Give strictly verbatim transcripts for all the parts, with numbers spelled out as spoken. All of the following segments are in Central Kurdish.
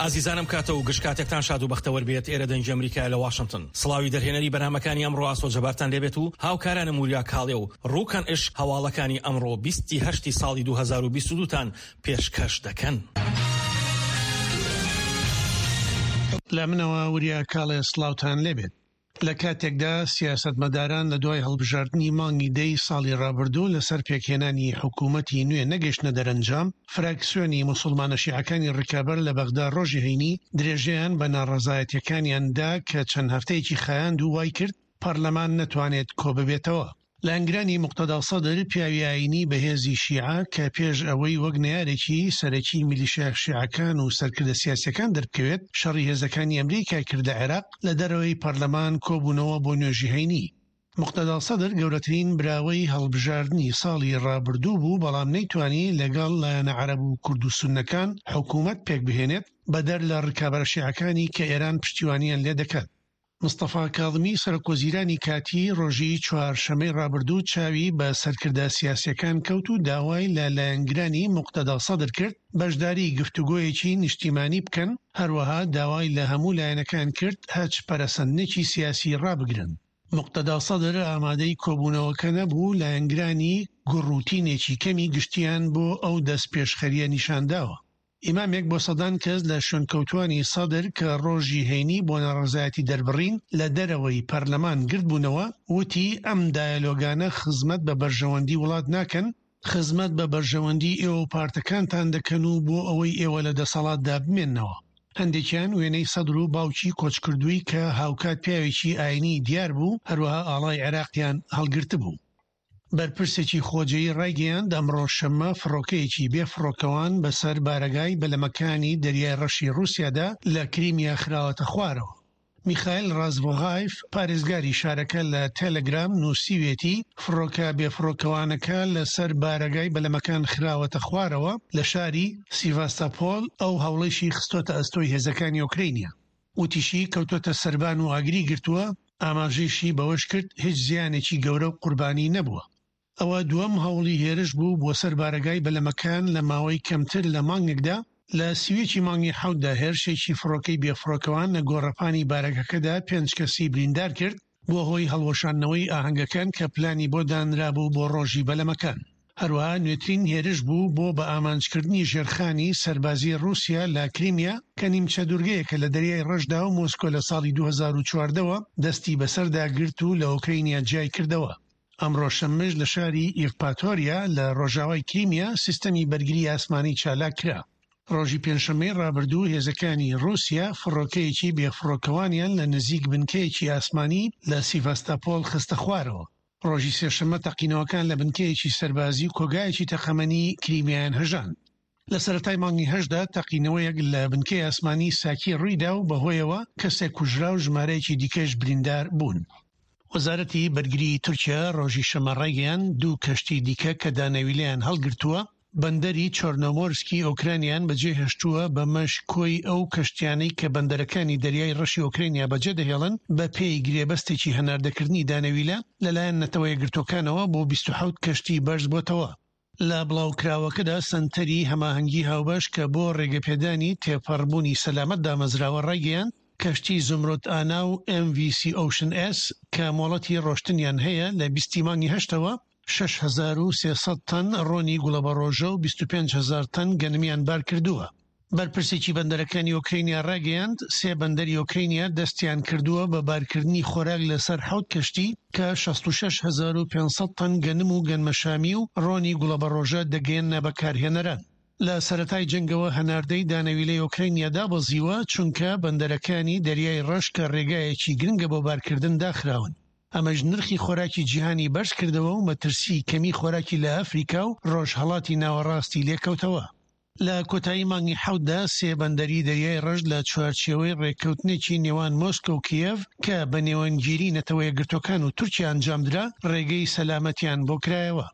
ئازیزانم، کاتە و گشت کاتێکتان شاد و بەختەوەر بێت. ئێرە دەنگی ئەمریکا لە واشنگتن. سڵاوی دەرهێنەری بەرنامەکانی ئەمڕۆ ئاسۆ جەبارتان لێبێت و هاوکارانم وریا کاڵێ و ڕوکەن ئش هەواڵەکانی ئەمڕۆ بیستی هەشتی ساڵی دوو هەزار و بیست و دوو تان پێشکەش دەکەن. لە منەوە وریا کاڵێ سڵاوتان لێبێت. لە کاتێکدا سیاسەتمەداران لە دوای هەڵبژاردنی مانگی دەی ساڵی ڕابردوو لەسەر پێکهێنانی حکوومەتی نوێ نەگەیشتنە دەرەنجام، فراکسیۆنی موسڵمانە شیعەکانی ڕکابەر لە بەغدا ڕۆژی هەینی درێژەیان بە ناڕەزایەتیەکانیان دا کە چەند هەفتەیەکی خایاند و وای کرد پەرلەمان نەتوانێت کۆببێتەوە. لایەنگرانی موقتەدا سەدر، پیاوی ئایینی بەهێزی شیعە کە پێش ئەوەی وەک نەیارێکی سەرەکی میلیشیا شیعەکان و سەرکردە سیاسیەکان دەربکەوێت، شەڕی هێزەکانی ئەمریکای کرد لە عێراق، لە دەرەوەی پەرلەمان کۆبوونەوە بۆ نوێژی هەینی. موقتەدا سەدر گەورەترین براوەی هەڵبژاردنی ساڵی ڕابردوو بوو، بەڵام نەیتوانی لەگەڵ لایەنە عەرەب و کورد و سوننەکان حکوومەت پێکبهێنێت، بەدەر لە ڕکابەرە شیعەکانی کە ئێران پشتیوانیان لێدەکات. مستەفا کاظمی سەرۆکوەزیرانی کاتی ڕۆژی چوارشەممەی ڕابردوو چاوی بە سەرکردە سیاسیەکان کەوت و داوای لە لایەنگرانی موقتەدا سەدر کرد بەشداری گفتوگۆیەکی نیشتیمانی بکەن، هەروەها داوای لە هەموو لایەنەکان کرد هەچ پەرەسەندنێکی سیاسی ڕابگرن. موقتەدا سەدر ئامادەی کۆبوونەوەکە نەبوو، لایەنگرانی گوڕوتینێکی کەمی گشتیان بۆ ئەو دەستپێشخەریە نیشانداوە. ئیمامێک بۆ سەدان کەس لە شوێنکەوتوانی سەدر کە ڕۆژی هەینی بۆ ناڕەزایەتی دەربڕین لە دەرەوەی پەرلەمان گردبوونەوە وتی ئەم دایەلۆگانە خزمەت بە بەرژەوەندی وڵات ناکەن، خزمەت بە بەرژەوەندی ئێوە و پارتەکانتان دەکەن و بۆ ئەوەی ئێوە لە دەسەڵاتدا بمێننەوە. هەندێکیان وێنەی سەدر و باوکی کۆچکردووی کە هاوکات پیاوێکی ئایینی دیار بوو، هەروەها ئاڵای عێراقیان هەڵگرتبوو. بەرپرسێکی خۆجێی ڕایگەیاند ئەمڕۆ شەممە فڕۆکەیەکی بێ فڕۆکەوان بەسەر بارەگای بەلەمەکانی دەریای ڕەشی ڕووسیادا لە کریمیا خراوەتە خوارەوە. میخائیل ڕازڤۆغایف پارێزگاری شارەکە لە تەلەگرام نووسیوێتی فڕۆکە بێفڕۆکەوانەکە لەسەر بارەگای بەلەمەکان خراوەتە خوارەوە لە شاری سیڤاستاپۆل، ئەو هەوڵەیشی خستۆتە ئەستۆی هێزەکانی ئۆکرینیا. وتیشی کەوتۆتە سەربان و ئاگری گرتووە، ئاماژەیشی بەوەش کرد هیچ زیانێکی گەورە و قوربانی نەبووە. ئەوە دووەم هەوڵی هێرش بوو بۆ سەر بارەگای بەلەمەکان لە ماوەی کەمتر لە مانگێکدا. لە سیوێکی مانگی حەوتدا هێرشێکی فڕۆکەی بێفڕۆکەوان لە گۆڕەپانی بارەگەکەدا پێنج کەسی بریندار کرد، بۆ هۆی هەڵوەشاندنەوەی ئاهەنگەکان کە پلانی بۆ دانرابوو بۆ ڕۆژی بەلەمەکان. هەروەها نوێترین هێرش بوو بۆ بە ئامانجکردنی ژێرخانی سەربازی ڕووسیا لە کریمیا کە نیمچە دوورگەیەکە لە دەریای ڕەشدا و مۆسکۆ لە ساڵی دوو هەزار و چواردە دەستی بەسەردا گرت و لە ئۆکرینیا جیای کردەوە. ئەمڕۆ شەممەش لە شاری ئیڤپاتۆریا لە ڕۆژاوای کریمیا سیستەمی بەرگری ئاسمانی چالاک کرا. ڕۆژی پێنجشەممەی ڕابردوو هێزەکانی ڕووسیا فڕۆکەیەکی بێفڕۆکەوانیان لە نزیک بنکەیەکی ئاسمانی لە سیڤاستاپۆل خستە خوارەوە. ڕۆژی سێشەممە تەقینەوەکان لە بنکەیەکی سەربازی و کۆگایەکی تەقەمەنی کریمیایان هەژاند. لە سەرەتای مانگی هەشتدا تەقینەوەیەک لە بنکەی ئاسمانی ساکی ڕوویدا و بەهۆیەوە کەسێک کوژرا و ژمارەیەکی دیکەش بریندار بوون. وەزارەتی بەرگری تورکیا ڕۆژی شەممە ڕایگەیاند دوو کەشتی دیکە کە دانەویلەیان هەڵگرتووە بەندەری چۆرنۆمۆرسکی ئۆکرانیان بەجێهێشتووە، بەمەش کۆی ئەو کەشتیانەی کە بەندەرەکانی دەریای ڕەشی ئۆکرانیا بەجێدەهێڵن بە پێی گرێبەستێکی هەناردەکردنی دانەویلە لەلایەن نەتەوە یەکگرتووەکانەوە بۆ بیست و حەوت کەشتی بەرز بۆتەوە. لە بڵاوکراوەکەدا سەنتەری هەماهەنگی هاوبەش کە بۆ ڕێگەپێدانی تێپەڕبوونی سەلامەت دامەزراوە ڕایگەیاند کەشتی زومرۆت ئانا و ئێم ڤی سی ئۆشن ئێس کە مۆڵەتی ڕۆشتنیان هەیە لە بیستی مانگی هەشتەوە شەش هەزار و سێ سەد تەن ڕۆنی گوڵەبەڕۆژە و بیست و پێنج هەزار تەن گەنمیان بار کردووە. بەرپرسێکی بەندەرەکانی ئۆکرینیا ڕاگەیاند سێ بەندەری ئۆکرینیا دەستیان کردووە بە بارکردنی خۆراک لەسەر حەوت کەشتی کە شەست و شەش هەزار و پێنج سەد تەن گەنم و گەنمەشامی و ڕۆنی گوڵەبەڕۆژە دەگەیەننە بەکارهێنەران. لە سەرەتای جەنگەوە هەناردەی دانەویلەی ئۆکرینیا دابەزیوە، چونکە بەندەرەکانی دەریای ڕەش کە ڕێگایەکی گرنگە بۆ بارکردن داخراون. ئەمەش نرخی خۆراکی جیهانی بەرز کردەوە و مەترسی کەمی خۆراکی لە ئەفریکا و ڕۆژهەڵاتی ناوەڕاستی لێکەوتەوە. لە کۆتایی مانگی حەوتدا سێ بەندەری دەریای ڕەش لە چوارچێوەی ڕێککەوتنێکی نێوان مۆسکۆ و کیێڤ کە بە نێوەندگیری نەتەوە یەکگرتووەکان و تورکیا ئەنجامدرا ڕێگەی سەلامەتیان بۆ کرایەوە.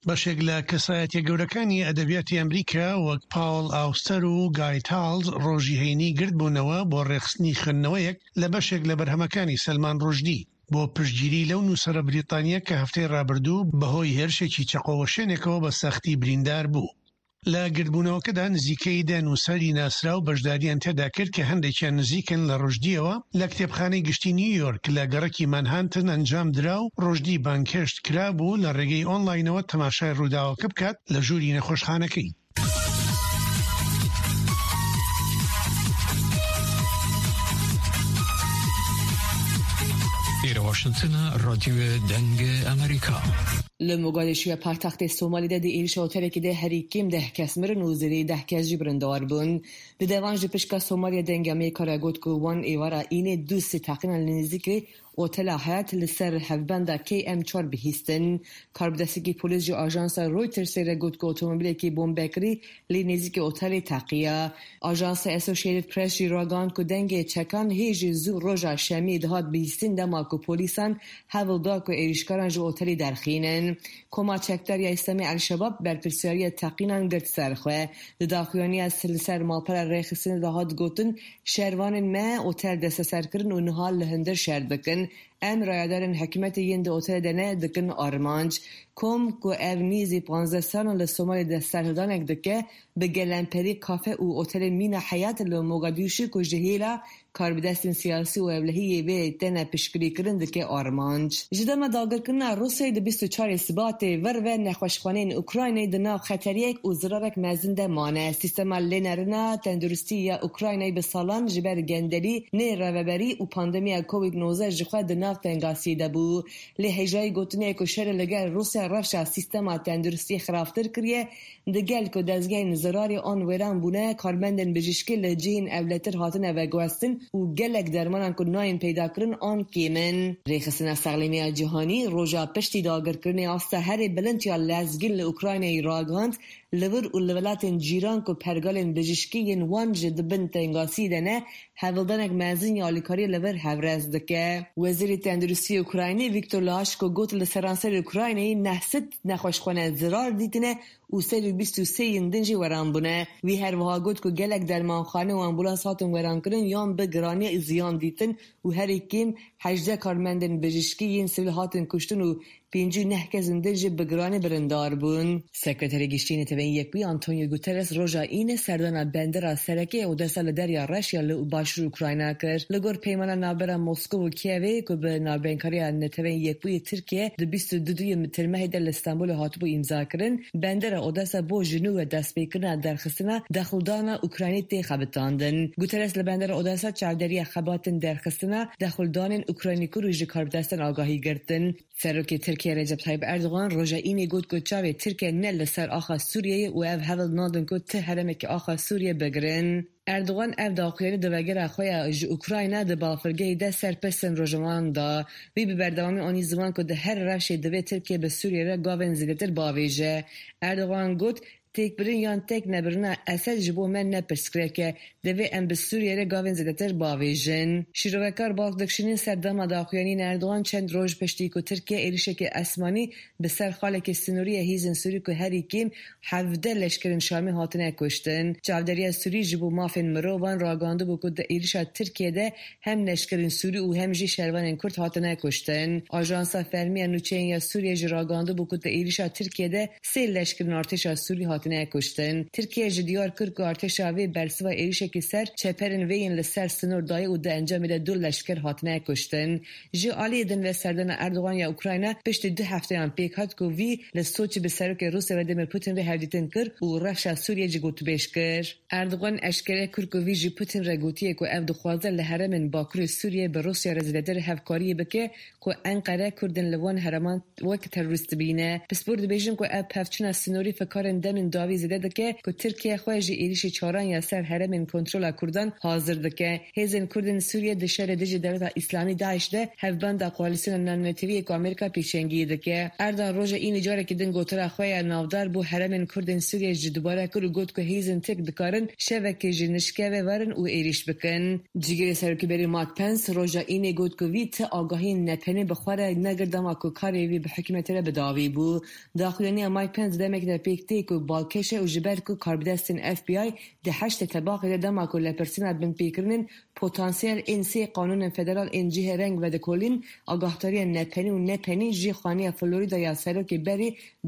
بەشێک لە کەسایەتیە گەورەکانی ئەدەبیاتی ئەمریکا وەک پاوڵ ئاوستەر و گای تاڵز ڕۆژی هەینی گردبوونەوە بۆ ڕێکخستنی خوێندنەوەیەک لە بەشێک لە بەرهەمەکانی سەلمان ڕوشدی بۆ پشتگیری لەو نووسەرە بریتانیا کە هەفتەی ڕابردوو بەهۆی هێرشێکی چەقۆوەشێنێکەوە بە سەختی بریندار بوو. لە گردبوونەوەکەدا نزیکەی دە نووسەری ناسراو بەشداریان تێدا کرد کە هەندێکیان نزیکن لە ڕوشدیەوە. لە کتێبخانەی گشتی نیویۆرک لە گەڕەکی مانهانتن ئەنجام درا و ڕوشدی بانگهێشت کرابوو لە ڕێگەی ئۆنلاینەوە تەماشای ڕووداوەکە بکات لە ژووری نەخۆشخانەکەی. ئێرە واشنتنە، رادیۆ دەنگ ئەمریکا. لە موگادیشوی پایتەختی سۆمالی ده دی ئێریشا ئۆتەلێکی ده هەری کێم دە کەس مرن و زێدەی دە کەس ژی بریندار بوون. Di devan ji pişka Somaliya Dengê Amerîka re got ku wan êvara înê du sê teqînan li nêzîkê Otela Hayat li ser hevbenda K M çar bihîstin. Karbidestekî polîs ji ajansa Reutersê re got ku otomobîlekî bombekirî li nêzîkê otelê teqiya. Ajansa Associated Press jî ragihand ku dengê çekan hê ji zû roja şemiyê dihat bihîstin dema ku polîsan hewl da ku êrişkaran ji otelê derxînin. Koma çekdar ya İslamî El-Şebab berpirsyariya teqînan girt ser xwe. Di daxuyaniya li ser malpera rêxistinê de hat gotin şervanên me otel desteser kirin û niha li hundir şer dikin. Em rayedarên hikûmetê yên di otelê de ne dikin armanc. Kom ku ev nêzî panzdeh salan li Somalê de serhildanek dike bi gelemperî kafe û otelên mîna Heyat li Mogadîşu ku ji hêla karbidestên siyasî û ewlehiyê vê têne piştgirîkirin dike armanc. Ji dema dagirkirina Rûsyayê di bîst û çarê Sibatê vir ve nexweşxaneyên Ukraynayê di nav xeteriyek û zirarek mezin de mane. Sîstema lênerina tenduristî ya Ukraynayê bi salan ji ber gendelî, nêrêveberî û pandemiya Covid nozdeh ji xwe di nav tengasiyê de bû. Lê hêjayî gotinê ku şerê li gel Rûsya rewşa sîstema tenduristiyê xirabtir kiriye, di gel ku dezgehên zirarê an wêran bûne, karmendên bijîşkî li cihên ewletir hatine veguhestin û gelek dermanan ku nayên peydakirin an kêm in. Rêxistina Sexlemiya Cîhanî roja piştî dagirkirinê asta herî bilind ya lezgîn li Ukraynayê ragihand li vir û li welatên cîran ku pergalên bijîşkî yên wan ji di bin tengasiyê de ne, hewldanek mezin ya alîkariyê li vir hevrez dike. Wezîrê Tenduristiyê Ukraynî Viktor Lashko got li seranserê Ukraynayê neh sed nexweşxane zirar dîtine û sed û bîst û sê yên din jî weran bûne. Wî her wiha got ku gelek dermanxane û ambulans hatin werankirin yan bi giranî ziyan dîtin û herî kêm hejdeh karmendên bijîşkî yên sivîl hatin kuştin û pêncî û neh kesên din jî bi giranî birindar bûn. Sekreterê Giştî Neteweyên Yekbûyî Antonio Guterres roja înê serdana bendera sereke Odessa li Derya Reş ya li başûr Ukrayna kir. Li gor peymana navbera Moskow û Kievê ku bi navbeynkariya Neteweyên Yekbûyî Tirkiye di bîst û du duyê Tirmehê de li Stenbolê hatibû îmzakirin, bendera Odessa bo ji nû ve destpêkirina derxistina dexildana Ukraynî tê xebitandin. Guterres li bendera Odessa çavdêriya xebatên derxistina dexildanên Ukraynî kir û ji karbidestan agahî girtin. Serokê Tirkiye Recep Tayyip Erdogan roja înê got ku çavê Tirkiye ne li ser axa Sûriyeyê û ev hewl nadin ku ti herêmekî axa Sûriye bigirin. Erdogan ev daxuyanî di vegera xwe ya ji Ukrayna di balafirgehê de ser pirsên rojnamevan da. Wî bi berdewamî anî ziman ku di her rewşê divê Tirkiye bi Sûriyeyê re gavên zêdetir bavêje. Erdogan got têkbirin yan têk nebirina Esed ji bo me ne pirsgirêk e, divê em bi Sûriyeyê re gavên zêdetir bavêjin. Şîrovekar bal dikişînin ser dema daxuyaniyên Erdogan çend roj piştî ku Tirkiye êrişeke esmanî bi ser xaleke sînorî ya hêzên Sûrî ku herî kêm hevdeh leşkerên Şamê hatine kuştin. Çavdêriya Sûrî ji bo mafên mirovan ragihandibû ku di êrişa Tirkiye de hem leşkerên Sûrî û hem jî şervanên Kurd hatine kuştin. Ajansa fermî ya nûçeyên ya Sûriye jî ragihandibû ku di êrişa Tirkiye de sê leşkerên artêşa Sûrî hatine kuştin. Tirkiye ji diyar kir ku artêşa vê bersiva êrişekî ser çeperên vê yên li ser sinor dayê û di encamê de du leşker hatine kuştin. Ji aliyê din ve serdana Erdogan ya Ukrayna piştî du hefteyan pêk hat ku wî li Soçî bi serokê Rûsya Vladimir Putin re hevdîtin kir û rewşa Sûriye jî gotûbêj kir. Erdogan eşkere kir ku wî ji Putin re gotiye ku ew dixwaze li herêmên Bakurê Sûriye bi Rûsya re zêdetir hevkariyê bike ku Enqere Kurdên li wan herêman wek terorîst dibîne. Pispor dibêjin ku ev pevçûna sinorî fikarên demên dawî zêde dike ku Tirkiye xwe ji êrişê çaran ya ser herêmên kontrola Kurdan hazir dike. Hêzên Kurdên Sûriye di şerê dijî dewleta İslamî DAIŞ de hevbenda koalisyona navnetewî ku Amerîka pêşengiyê dike. Erdogan roja înê carekî din gotina xwe ya navdar bo herêmên Kurdên Sûriye ji dubare kir û got ku hêzên Tirk dikarin şevekê ji nişkeve werin û êriş bikin. Cîgirê Serokê Berê Mike Pence roja înê got ku wî ti agahiyên nepenê bi xwe re negirt dema ku karê wî bi hikûmetê re bi dawî bû. Daxuyaniya Mike Pence demekê de pêk tê ku balkêş e û ji ber ku karbidestên F B I di heştê tebaxê de dema ku lêpirsîna binpêkirinên potansiyel ên sê qanûnên federal ên cihê reng vedikolîn agahdariyên nepenî û nepenî ji xaniya Florida ya serokê berê